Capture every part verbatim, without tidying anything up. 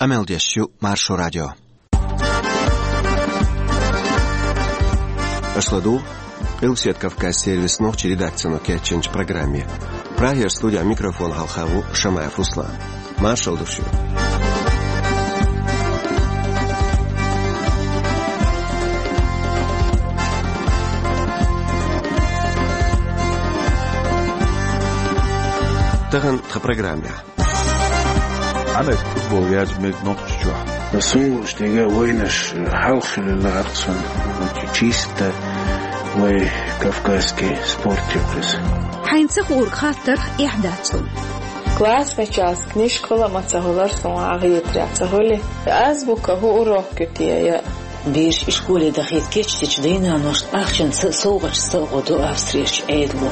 Къамел деш ю Маршо радио. Аша ладугӀу Къилбаседа Кавказан сервисан нохчийн редакцино кечйинчу программе. Прагера студехь микрофон хьалха ву Шамаев Руслан. Маршалла ду шуьга. Тахана тхан программехь. Ӏамеркан футбол яржа мега Нохчийчохь. Суна лууш дерг вайнаш хьалха хилла лаьара суна, чисто вай кавказский спорт ю-кх иза. Хьайна ца хуург хаттарх эхь дац цунна. Классный час книжка хуьлу а ма ца хуьлура суна, хьан хетарехь ца хуьлий? Азбука хӀун урок ю те я? Бераш школе дахийта кечдечу дай-наношна ахчанца а, совгӀаташца а гӀо до Австрерчу Ӏедало.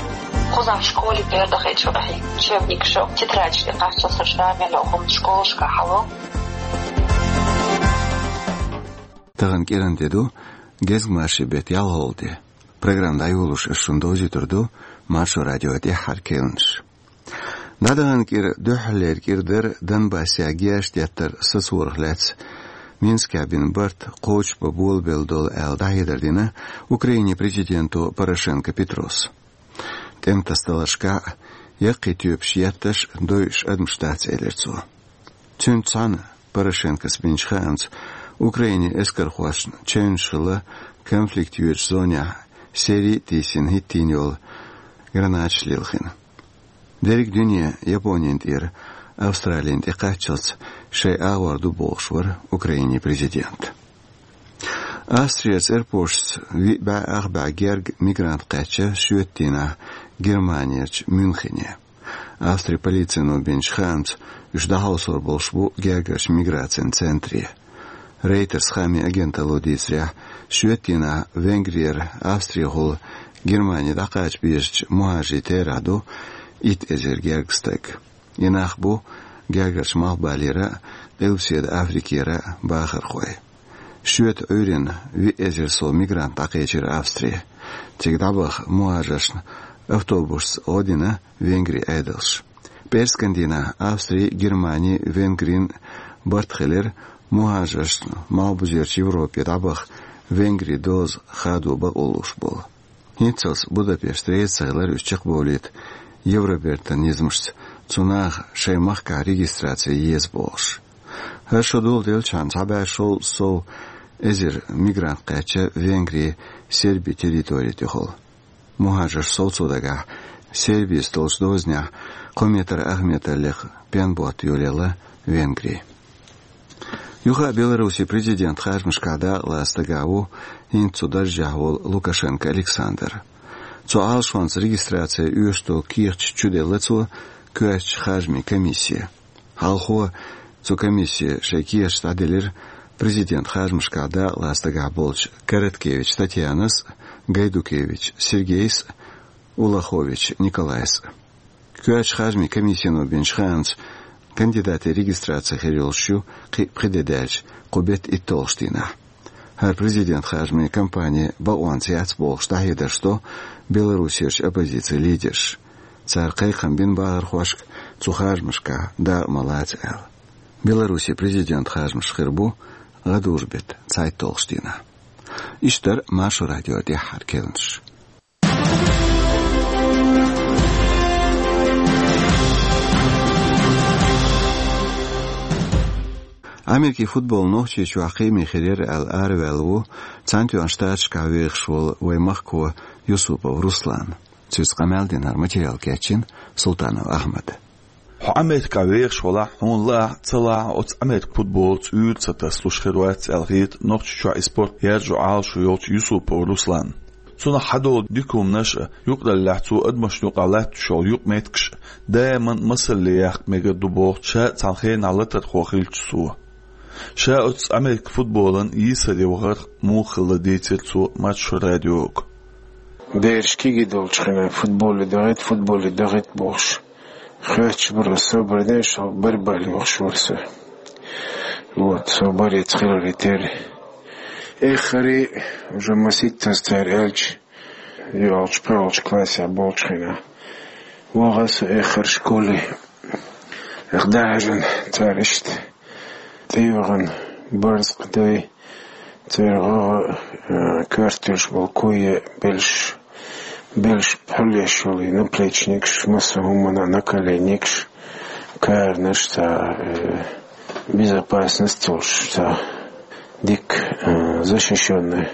Кхузахь школе бер дахийта шу ахьа учебникаш а, тетрадаш тӀе кхаччалц шармело хӀума школашкахь хьало. Тахана кӀиранан де ду, гезгмашин беттан ялхолгӀа де. Программа дӀайолош ас шуна довзуьйтур ду Маршо радион тӀаьххьара керланаш. ДӀадаханчу кӀира дуьххьарлера кӀира дара Донбассехь герз деттар сацорах лаьцна Минскехь бина барт кхочушбан болабелла долу аьлла дӀахьедар дина Украинин президенто Порошенко Петрос. ТӀематасадаларшкахь а, яккхий тоьпаш етташ а дойуш адамаш дац, элира цо. Цуьнца цхьаьна Порошенкос бинчу хаамца Украинин эскархошна чевнаш хилла конфликт йоьдучу зонехь сери а тийсина хӀиттийна йолу гранаташ лилхина. Дерриг дуьне Японина тӀера Австралина тӀекхаччалц шайн агӀор ду бохуш вара Украинин президент. Австрера аэропорташца виъ бӀе ах бӀе гергга мигрант кхаьчна шоьтан дийнахь Германерчу Мюнхене. Австрин полицино бинчу хаамца уьш дӀахьовсор болуш бу гергарчу миграцин центре. Рейтерс хаамийн агенталло дийцарехь, шоьтан дийнахь Венгрера Австрехула Германи дӀакхача безачу мухӀажарийн терахь ду итт эзар гергга стаг. И нах бу гергарчу Малхбалера а, Къилбаседа Африкера а бахархой. Шоьтан Ӏуьйранна виъ эзар сов мигрант дӀакхечира Австре. Цига дӀабаха мухӀажаршна автобусашца гӀо дина Венгрин Ӏедалша. ПӀераскан дийнахь Австрин, Германин, Венгрин барт хилира мухӀажаршна Малхбузерчу Европе дӀабаха Венгрин доза хадо бакъо луш болу. ХӀинццалц Будапешт реза ца хилира уьш чекхбовлийта Евробертан низамашца, цу наха шайн махкахь регистраци еза бохуш. ХӀара шо доладелчхьана цхьа бӀе шовзткъа сов эзар мигрант кхаьчна Венгрин Сербин территори тӀехула. МухӀажарш совцо дагахь, Сербица долчу дозанехь кхо метр ах метр лекха пен ботта йолаелла Венгри. Юха а Беларусин президентан харжамашкахь дакъалаца дагахь ву хӀинца цу даржехь волу Лукашенко Александр. Цу Ӏалашонца регистраци оьшуш долу кехаташ чуделла цо коьртачу харжамийн комиссе. Хьалхо цу комиссе шайн кехаташ дӀаделира президентан харжамашкахь дакъалаца дагахь болчу Короткевич Татьянас а, Гайдукевич Сергейс а, Улахович Николайс а. Коьртачу харжамийн комиссино бинчу хаамца, кандидатийн регистраци хир йолуш ю кхин а пхи де даьлча, кху беттан итталгӀачу дийнахь. ХӀара президентан харжамийн кампани бакъонца яц бохуш дӀахьедарш до Беларусерчу оппозицин лидерша. Цара кхайкхам бина бахархошка цу харжамашкахь дакъа ма лаца аьлла. Беларусин президентан харжамаш хир бу гӀадужу беттан цхьайтталгӀачу дийнахь. Иштта дара Маршо радион тӀаьххьара керланаш. Америкин футбол Нохчийчохь кхиаме хир яра аьлла араваьлла ву Цхьаьнатоьхначу Штаташкахь вехаш волу вайн махко Юсупов Руслан. Цуьнца къамел дина, хӀара материал кечйина Султанов Ахьмада. Хьо Америкехь вехаш валахь, хьуна лаахь а, ца лаахь а, оцу Америкин футболца уьйр ца тасалуш хир вац аьлла хета Нохчийчохь и спорт яржо Ӏалашо йолчу Юсупов Русланна. Цунах хьадолу дика хӀуманаш а, юкъараллехь цо адамашна юкъахь латтош йолу юкъаметтигаш а даиман масалле яккха мегар ду боху ша цхьана хенахь латархо хилча цо. Ша оцу Америкин футболан йийсаре вахарх муха хилла дийцира цо Маршо радиога. Бераш кегий долчу хенахь футболе дохийта, футболе дохийта бохуш. Хоьттуш бара, со бара деш, со бара бахьана вахаш вара со. Вот, со барица хиларе терра. Эххаре уже маситтаза цара аьлча, йолчу, пхоьалгӀачу классехь болчу хенахь. Ваха со эххар школе. Эх, дӀахьаьжна цара иштта. тӀейогӀан барзкъа дай, церан гӀагӀа, э, коьрташ болу куе белш, белш пхьуллеш йолу и наплечникаш, массо а хӀуманна наколенникаш, каранаш, цхьа, э, безопасность йолуш, цхьа дика, э, защищённый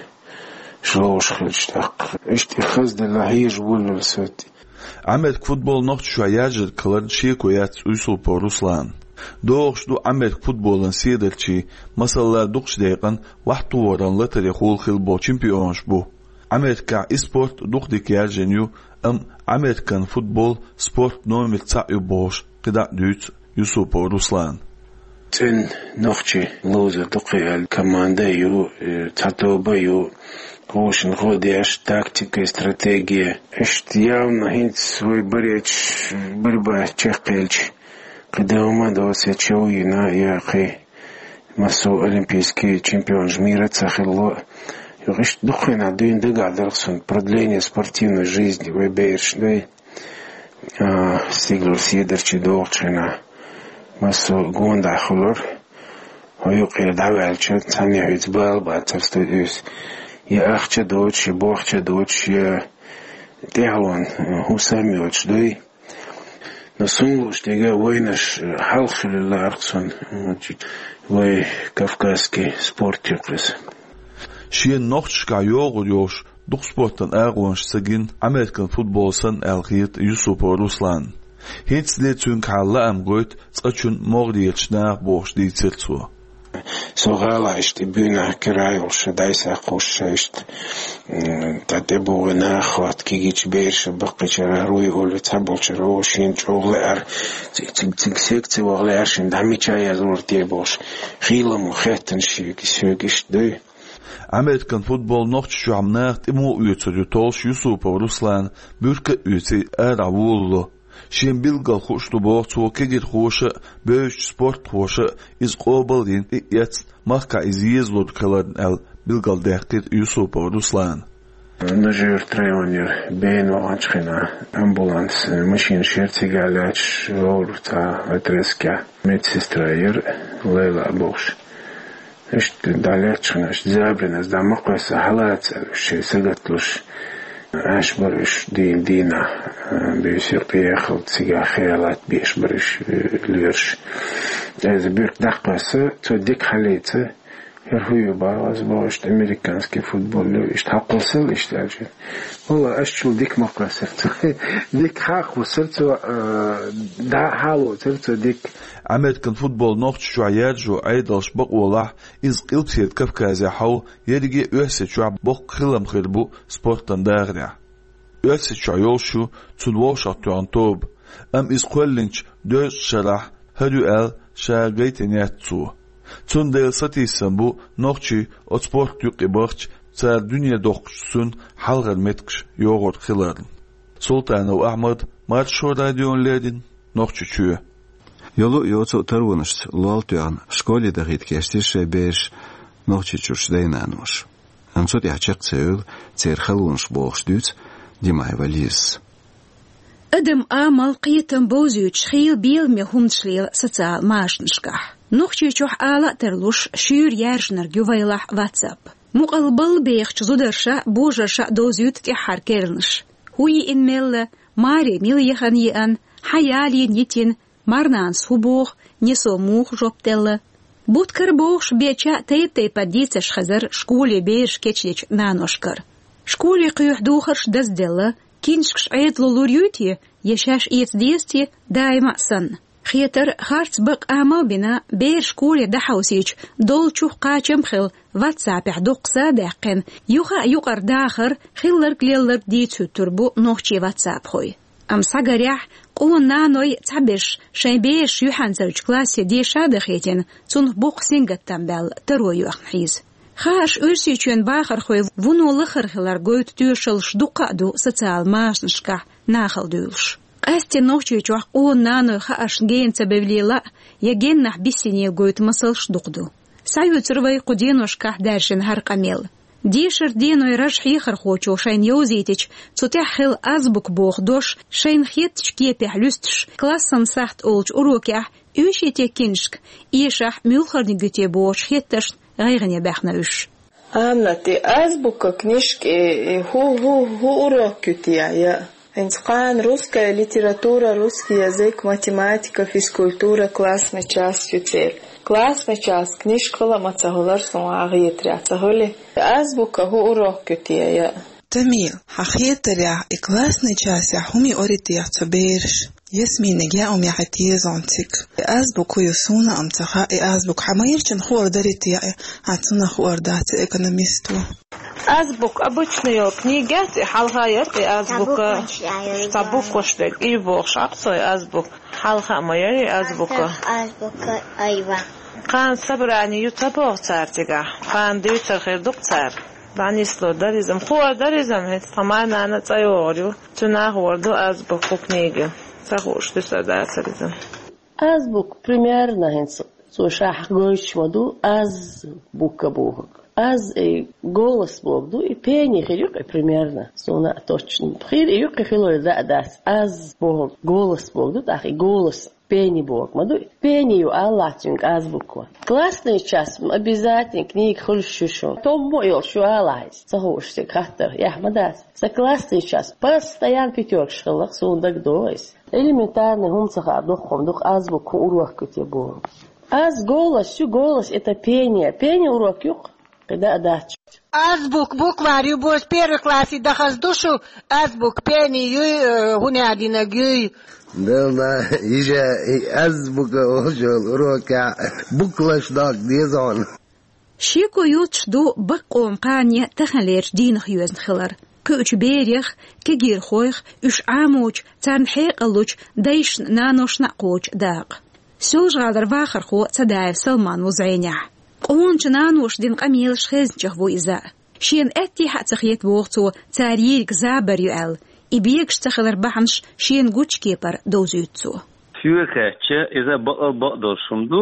ловуш хилча тӀаккха. Иштта и хазделла хьежа воллура со. Ӏамерка футбол Нохчийчохь яржарг хиларна шеко яц Юсупов Русланна. ДогӀуш ду Ӏамерка футболан седарчий, масала, дукхачу декъана вахтухаран латарехула хилла болу чемпионаш бу. Ӏамеркахь и спорт дукха дика яржийна ю, амма Ӏамеркан футбол спорт номер цхьаъ ю бохуш, кхидӀа а дуьйцу Юсупов Руслана. ЦӀена нохчий ловзар ду кхин аьлла, команда а ю, э, цхьа тоба а ю, хӀошана гӀо деш, тактика, стратегия. Иштта явна хӀинца вай баречу, барба чекхъелча, кхин дан хӀума доцу, я чов йина, я кхин массо а олимпийский чемпионаш мира ца хилла. Юха иштта дукха хенахь дуьйна дагахь дарх суна продление спортивной жизни вай бераш дай. А, стигалара седарчий догӀучу хенахь массо а гондахь хуьлура. Хьо юкъера дӀаваьлча, цхьанне хьоьца бала бацара стуьйсу. Я ахча доцуш, я бохча доцуш, я тӀаьхьалонан, э, хӀусам йоцуш дуй. Но суна лууш дерг вайнаш, э, хьалха хуьлийла лаьара суна, э, вай кавказский спорт юкъа иза. Шена нохчашкахь йогӀур йолуш дукха спортан агӀонаш ца гина Ӏамеркан футбол санна аьлла хета Юсупов Русланна. ХӀинцале цуьнгахьа лаам гойту цкъачунна могӀарерчу наха бохуш дийцира цо. Со гӀалахь иштта и буьйнахь кира йолуш, дӀасакхуш иштта, м, тӀе тӀебогӀий наха хӀотта кегийчу бераша баккхийчара руй олу цхьаболчара, о, шена чӀогӀа лаьара, цига, цига, цига секци ваха лаьара, шена дӀа мича язлур те бохуш, хийлам хеттана шега, соьга иштта дуй. Ӏамеркан футбол Нохчийчохь наха тӀе муха оьцур ю толлуш Юсупов Руслана буьрка а оьций арахь волало. Шен билггал хууш ду боху цо кегийрхоша а, бевзачу спортхоша а иза къобал а дина тӀе а эцна, махкахь иза езалург хиларна аьлла билгалдаьккхира Юсупов Руслана. Нажи-Юрт районера бена ваханчу хенахь амбуланс, э, машинаш яра, цигахь лаьтташ вогӀура цхьа отрезкехь. Медсестра яра, Лейла бохуш. Иштта дӀалаьтташ хенахь, иштта забарана дӀа ма кхоьссу, хьалаца аьлла, уьш шайн сагатлуш, Ӏаш бара уьш дийна дийнахь, а, буьйса юкъа яхалц, цигахь хьалаца беш бара уьш, э, лоьраш. Иза буьрка дӀакхоьссу, цо дика хьалаца, хӀара хӀун ю боху, аса боху, иштта американский футбол ю, иштта хьакхуссал иштта аьлча. Валла, ас чул дика ма кхоьссура цо. Дика хьакхуссура цо, э, дӀа хьалоцура цо дика. Ӏамеркан футбол Нохчийчохь яржо Ӏедалша бакъолахь, иза Къилбаседа Кавказехь хьовха, ерриге а Оьрсийчохь боккха хилам хир бу спортан дахарехь. Оьрсийчохь йолуш ю цунна вовшахтоьхна тоба, амма иза кхоьллинчу дезткъа шарахь хӀара ю аьлла ша гайтина яц цо. Цундела сатийсам бу нохчий оцу спорт юкъе бахча, цара дуьне доккхучу цуьнан хьалхара меттигаш йогӀур хиларна. Султанов Ахьмад, Маршо радиона леррина, Нохчийчоь. Йолу а йоцу а таронашца лол тоьхна, школе дахийта кечдира шайн бераш Нохчийчуьрчу дай-наноша. Амма цу тӀехь чекх ца евлла церан халонаш бохуш дуьйцу Димаева Лизас. Адам амал, кхетам бовзуьйтуш хийла беламе хӀуманаш лела социал машанашкахь. Нохчийчохь ала а тарлуш, шуьйра яьржинарг ю вайлахь WhatsApp. Мукъалла балла бехачу зударша а, божарша а довзуьйту тӀаьххьара керланаш. ХӀун йиъна мелла, маре мила яхана йиъна, хьан ялийна йитина, марнанас хӀун боху, несо муха жоп делла. Буткара бохуш беча а тайп-тайпана дийцарш хезара школе бераш кечдечу наношкара. Школе кхоьхьу духарш дазделла, киншкаш Ӏедало лур юй те, я шаьш эца деза те, даима а санна. Хетара, харц бакъ амал а бина, бер школе дӀахьовсийча, доллучух кхачам а хилла, WhatsApp-ехь дуккха са а даьккхина, юха а юкъара дахар, хилларг-лелларг дийца хӀуьттур бу нохчийн WhatsApp-хой. Амма схьагарехь, къона наной цхьаберш шайн бераш юьхьанцарчу классе деша а дахийтина, цунах боккха сингаттам баьлла таро йоьхна хьийза. Хаарш Оьрсийчоьнан бахархой вуно лахара хилар гойту тоьшаллаш дуккха а ду социал машанашкахь нахала дуьйлуш. Къаьсттина Нохчийчохь къона наной хааршна гена ца бевллийла а, я геннахь биссине гойту масалш дукха ду. Схьаюьйцур вай кху деношкахь даьржина хӀара къамел. Дешара деной раж хьехархочо шайна йовзийтича, цу тӀехь хилла азбука боху дош шайна хеттачу кепехь луьстуш, классан сахьт олучу урокехь Уьш и те книжка эшахь муьлхарниг ю те бохучу хеттаршна гӀайгӀане баьхна уьш. Аминат, и азбука книжка, и, и хӀу, хӀу, хӀу урок ю те я? ХӀинца кхана русская литература, русский язык, математика, физкультура, классный часть ю церан. Классный часть книжка хила а ма ца хилар суна хетарехь, ца хили. Азбука хӀу урок ю те я? Тамил, хьан хетарехь, и классный частехь хӀума ю те цу бераша? Ясминага яа хӀума яхьийта еза хьуна цига. И азбука хӀу ю суна а ма ца хаьа, и азбука хьан майрачунна хуур дарий те, хьан цунах хуур дац экономисто? Азбука обычный йолу книга яц, и хьалха яра и азбука. Цхьа букваш дерг, и бохуш Ӏа цо и азбука. Хьалха а ма яра и азбука. Азбука айва. Кхана собрани ю ца боху цара цигахь? Кхана дуьйцур хир ду-кх цара. ДӀанисло дара иза-м, хуур дара иза-м, хӀинца тхан май-нана цӀа йогӀур ю. Цуьнан хуур ду азбука книга. Ца хууш ду сан дацара иза. Азбука примерно хӀинца цо шахьа гойтуш ма ду, аз букка бохург. Аз и голос бохург ду, и пение хир ю-кх и примерно. Суна а точно хир ю-кх и хилой, даа дац. Аз бохург голос бохург ду, тӀаккха и голос пение бохург ма ду. Пение ю алахь цуьнга азбука. Классный часть обязательно книга хуьлуш ю шуна. Томмо а йолуш ю алахь иза. Ца хууш цига хаттар, эхь ма дац. Сан классный часть постоянно пятёркаш хилла-кх, суна дагадогӀу иза. Элементарный хӀума ца хаьа дуккха-м ду-кх азбука хӀу урок ю те бохург. Аз голос ю, голос это пение. Пение урок ю-кх, кхидӀа а дац. Азбука букварь ю бохуш первый классе дахаза ду шу, азбука пение юй, э, хӀунда динарг юй? Делла, иже и азбука олучу урокехь букваш доккха деза хьуна. Шеко йоцуш ду баккъонан кхане таханлерчу дийнах йоьзна хилар. Кхуьучу берех, кегийрхойх, уьш Ӏамочу, царна хьекъал лучу дайшна, наношна а кхочу дакъа. Соьлжа-ГӀалара вахархо Цадаев Салман ву зӀенехь. Къоначу наноша дина къамелаш хезначех ву иза. Шена аьттехьа а ца хета, боху цо, цара йийриг забар ю аьлла, и бегаш ца хилар бахьанаш шена гучу кепара довзуьйту цо. Соьга хаьттича, иза бакъал бакъдолуш хӀума ду.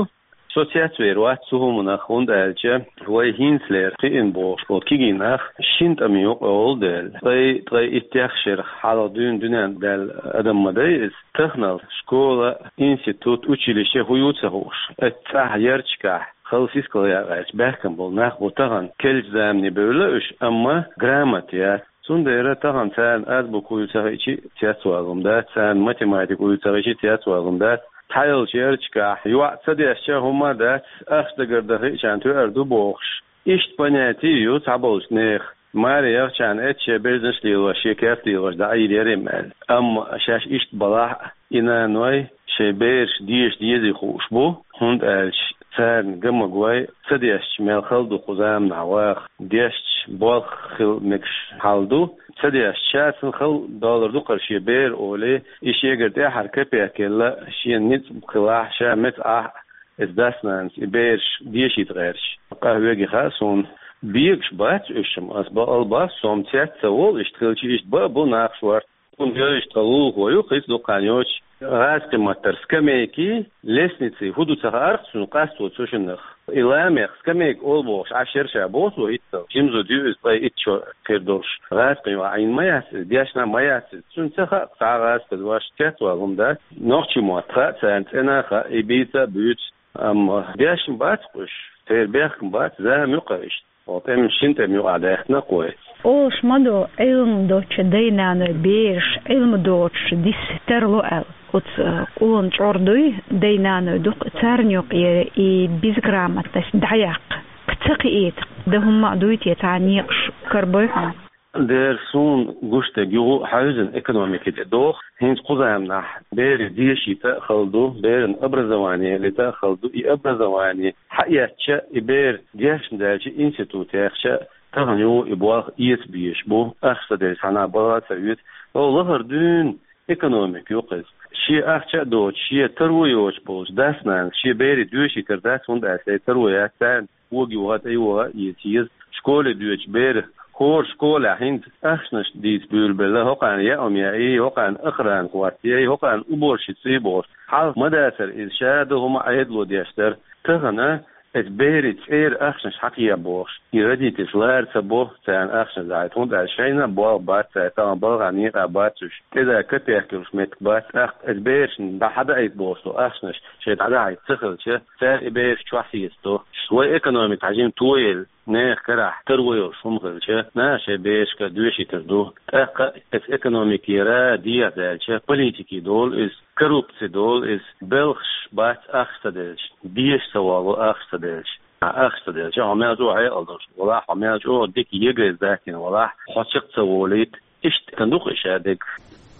Со цецвер вац цу хӀуманах, хӀунда аьлча вай хӀинцалера кхиъна бохуш болу кегий нах шина тӀаман юкъа йолу дела, ткъе, ткъе иттех шарах хьалха дуьйна дуьненна даьлла адам ма дай иза. Таханал школа, институт, училище хӀун ю ца хууш, оцу цӀахь ярташкахь хала сискал якъаьлча баьхкина болу нах бу тахана. Керлачу замане бевлла уьш, амма грамота яц. Цундела тахана царна азбука хӀу ю ца хиъча а цецвала хӀума дац, царна математика хӀу ю ца хиъча а цецвала хӀума дац. Цхьайолчу ярташкахь йоӀ ца дешча а хӀума дац, ахча дагардан хиъчарна тоьар ду бохуш. Иштта понятие ю цхьаболчу нехан. Маре яхчарна эццахь шен берзанаш лелош, шен керт лелош дӀаийр яра-м аьлла. Амма шаьш иштта балахь а, и наной шайн бераш деша дезий хууш бу, хӀунда аьлча царна ган магой, ца дешча мел хала ду кху заманахь ваха, дешча болх хила мегаш хьал ду, ца дешча ша цунна хала доллар ду-кх хӀара шен бер олий, и шегара тӀаьххьара капек елла, шена ницкъ хилахь, ша меца Ӏахь а, иза дас-нанас и бераш дешийта гӀерташ. Къахьоьгий хаьа суна, бегаш бац уьш-м, ас бакъал боху, со-м цец ца волу, иштта хилча иштта бан а бу нах шорта. Цунна йойуш тхан лулахо ю, кхин дукха хан йоцуш, гӀазкхийн маттара скамейки, лестницы хӀун ду ца хаьара-кх цунна, къасто цу шиннах. И ламех скамейка олу бохуш Ӏаш яра ша, боху цо, хӀинццалц. Жима зуда ю иза, ткъе итт шо хир долуш. ГӀазкхийн йоӀ Ӏийна ма яц иза, дешна ма яц иза. Цунна ца хаьа-кх цхьа а гӀазкхи дош, цецвала хӀума дац. Нохчийн мотт хаьа царна, цӀена а хаьа, и бийца а буьйцу. Амма дешна бац-кх уьш, церан бехкам бац, зама ю-кх иштта. Хьо тӀеман шина тӀеман юкъахь даьхна-кх вай. Олуш ма ду, Ӏилма доцчу дай-наной бераш Ӏилма доцуш дисса тарло аьлла. Оцу къона чӀор дуй, дай-наной дукха, царна юкъера и безграмотность дӀаяккха. Кхин ца кхиийта, дан хӀумма а дуй те, цхьа некъаш карабой хьуна? Дера, суна гуш дерг юха а хьаьвзина экономики тӀе доху. ХӀинца кху заманахь берийн дешийта а хала ду, беран образование лита а хала ду. И образование хьаэцча, и бер дешна даьлча, институт яьхча, тахана юха и болх эца безаш бу, ахча ца делча цхьанхьа бала а ца оьцу. О, лахара дуьйна экономика ю-кх иза. Шен ахча а доцуш, шен таро йоцуш болчу дас-нанас шен берийн доьшийтар дац, хӀунда аьлча таро яц царна, кога юха а, тӀе юха а эца еза. Школе доьдучу берах хӀора школехь хӀинца ахчанаш дийца буьйлабелла, хӀокхарна яа хӀума яий, хӀокхарна охрана хӀоттаяй, хӀокхарна уборщица яй бохуш. Хьалха ма дацара иза, ша дан хӀума Ӏедало деш дара. Тахана Эцу берийн цӀера ахчанаш хьакхехьа бохуш, и родительш лара ца бо царна ахчанаш дӀахьийта, хӀунда аьлча шайна а болх бац цара, тахана балхахь некъахь бац уьш, тӀе дан капек йолуш меттиг бац, тӀаккха эцу берашна дӀа хьадаийта бохуш долу ахчанаш шайн дӀадахьийта ца хилча, цара и бераш чохь сецадо. Вай экономика хьажийна тоелла, нехан карахь таро йолуш хӀума хилча, наха шайн берашка доьшуьйтур ду. ТӀаккха эцу экономикера дехьа даьлча, политике долу иза, коррупци долу иза, белхаш бац ахча ца делча, деша ца волу ахча ца делча. Ахча ца делча, хьо мел чӀогӀа хьекъал долуш валахь, хьо мел чӀогӀа дика ЕГЭ-с даттийна валахь, хьо чекх ца волийта, иштта ду-кх и шадерг.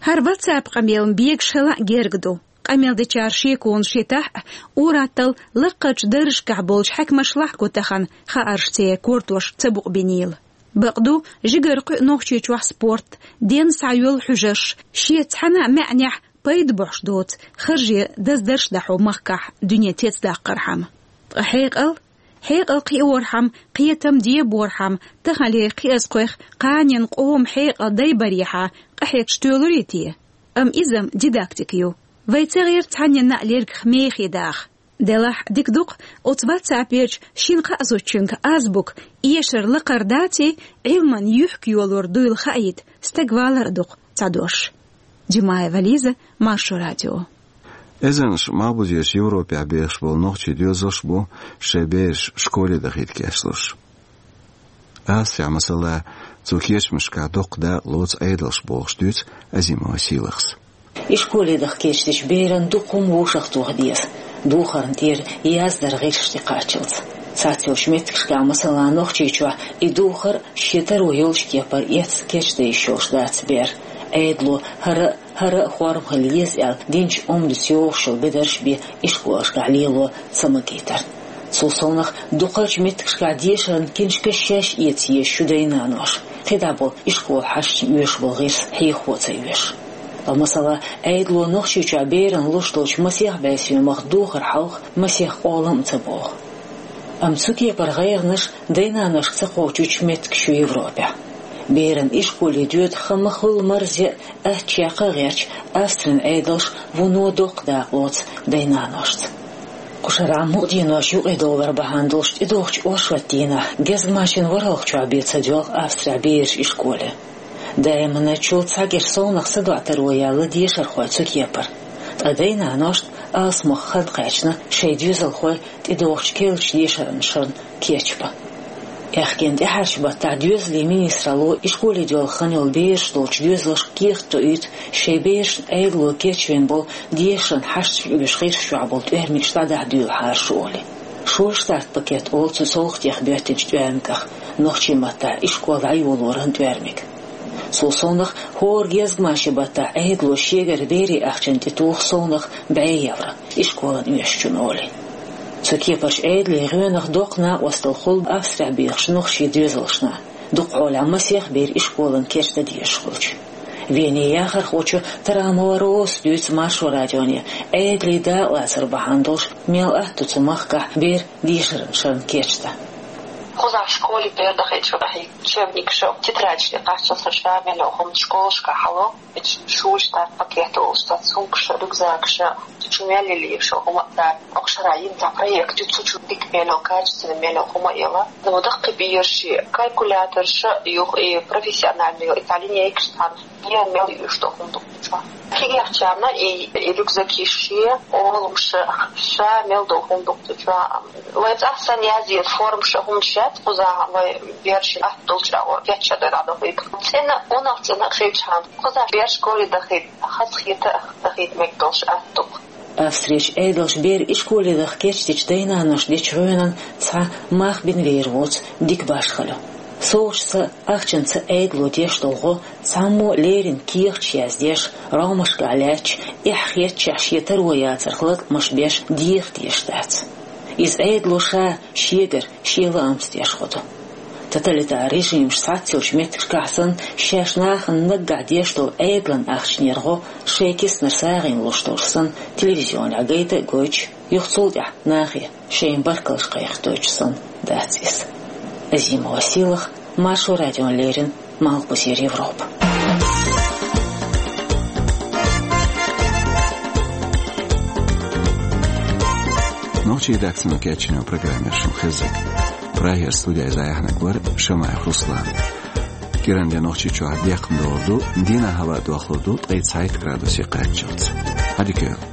ХӀара WhatsApp къамелан бегаш хила а герга ду. Къамел дечара шеконаш йитахь а, ур-атталла лакхарчу даржашкахь болчу хьаькамашлахь а гу тахана, хаарш церан кортош ца букъбинийла. Бакъду, жигара кхуьу Нохчийчохь спорт, денна схьайолу хьуьжарш, шен цхьана а маьӀнехь пайда бохьуш доцу харже даздарш дӀахьо махкахь дуьне цецдаккхархьама. Ткъа хьекъал? Хьекъал кхиорхьама, кхетам деборхьама, таханлера кхиазкхойх кханенан къоман хьекъал дайбарехьа къахьегча тоьлур ю те? Амма иза-м дидактика ю. Вай ца гӀерта цхьанненна а лергах мехе даха. Делахь дика ду-кх, оцу WhatsApp-ерчу шина кхаа зудчуьнга азбука эшар лакхара даций, Ӏилман юьхка йолор дуйла хаийта, стаг валар а ду-кх цхьа дош. Димаева Лиза, Маршо радио. Эзарнаш малхбузерчу Европехь бехаш болу нохчийн доьзалш бу шайн бераш школе дахийта кечлуш. Австрехь, масала, цу кечамашкахь доккха дакъа лоцу Ӏедалш бохуш дуьйцу Азимова Сийлахьас. И школе даха кечдечу беран дукха хӀума вовшахтоха деза, духарна тӀера яздаран гӀирсаш тӀекхаччалц. Цхьацца йолчу меттигашкахь, масала, Нохчийчохь, и духар шен таро йолчу кепара эцна кечдан йиш йолуш дац бер. Ӏедало хӀара а, хӀара а форма хила еза аьлла, динчу Ӏуьйранца йогӀуш йолу бедарш бен и школашкахь лело ца магийтарна. Цул совнаха, дукхачу меттигашкахь дешаран киншкаш шаьш эца езаш ю дайн-наноша, кхидӀа болу и школа хьашташна оьшуш болу гӀирс хьехаво ца оьшу. Ткъа, масала, Ӏедало Нохчийчохь берана луш долчу масех бӀе соьмах духар хьалха масех къолам а ца боху. Амма цу кепара гӀайгӀанаш дайн-наношка ца кхочучу меттигаш ю Европехь. Беран и школе доьду хан ма-хуьллу марзе а, аттачех а гӀерташ, Австрин Ӏедалш вуно доккха дакъа лоцу дайн-наношца. Кху шарахь мукъаденош юкъадовлар бахьана долуш тӀедогӀучу оршотан дийнахь гезгмашин ворхӀалгӀачохь бен ца доьлху Австрехь бераш и школе. Даиманчул цхьа гира совнаха садоӀу таро яьлла дешархой цу кепара. Ткъа дайн-наношна алсамох хан кхаьчна шайн доьзалхой тӀедогӀучу керлачу дешаран шарна кечбан. Аьхкенан тӀаьхьарчу баттахь доьзалийн министралло и школе доьлху хан йолу бераш долчу доьзалшка кехат тоуьйту, шайн берашна Ӏедало кечвина болу дешаран хьашташка оьшу гӀирс чохь болу тӀоьрмигаш дӀадахьа дуьйлахьара шу олий. Шоаш старт-пакет олу цу совгӀатех боьттинчу тӀоьрмигах, нохчийн маттахь и школа дӀайолоран тӀоьрмиг. Цул совнаха, хӀора гезгмашин баттахь Ӏедало шегара берийн ахчанна тӀетуху совнаха бӀе евро и школана оьшучунна олий. Цу кепарчу Ӏедалийн гӀоьнах доккха накъосталла хуьлу Австрехь бехачу нохчийн доьзалшна. Дукха хьолехь масех бер и школана кечдан дезаш хуьлучу. Венин яхархочо Тарамова Розас дуьйцу Маршо радионе, Ӏедалийн дакъалацар бахьана долуш мел атта ду цу махкахь бер дешаран шарна кечдан. Кхузахь школе бер дахийта шу къахьега учебникаш, тетрадаш тӀекхаччалц ша мел йолу хӀума школашкахь хьало. Эцу шуьш старт-пакет олуш цхьа сумкаш, рюкзакаш, цу чу мел лелийша хӀума а дац. Окху шарахь йина цхьа проект ю, цу чу дика мел йолу, качественно мел йолу хӀума а йолу. Ну, даккхий бераш, калькуляторш, юха и профессиональный, и цхьа линейкаш цхьана. Ен мел юьйш долу хӀума ду цу чохь. Кегийчарна и, и рюкзакаш, и олуш ша мел долу хӀума ду цу чохь. Вай цӀахь санна язъе формаш, хӀуманаш яц кхузахь, вай бераш атта долчу агӀор кечдан дӀадохийта. ЦӀена, унах цӀена хилчхьана, кхузахь бераш школе дахийта, хазахета, дахийта мега долуш атта ду. Австрерчу Ӏедалша бер и школе даха кечдечу дайн-наношна дечу гӀоьнан цхьа мах бина вер воцу дика башхалла ю. СовгӀаташца, ахчанца Ӏедало деш долу гӀо цхьаммо а леррина кехаташ яздеш, ромашкахь лаьтташ, эхь хетачехь шен таро яцарх латкъамаш беш деха дезаш дац. Иза Ӏедало ша шегара, шен лаамца деш гӀо ду. Тоталитар режимаш схьаццайолчу меттигашкахь санна, шаьш нахана наггахь деш долу Ӏедалан ахчанера гӀо шайн киснара сагӀина луш долуш санна, телевизионехь гайта а гойтуш, юха цул тӀаьхьа нахе шайн баркаллаш кхайкхадойтуш санна дац иза. Азимова Сийлахь, Маршо радиона леррина, Малхбузера Европа. Нохчийн редакцино кечйина программа яр шун хеззиг. Прагера студейза яхьнаг вар Шамаев Руслан. КӀиранди Нохчийчохь декхна догӀур ду, дийнахьа хӀаваъ дохлур ду ткъе цхьайтта градусе кхаччалц. Хьадика.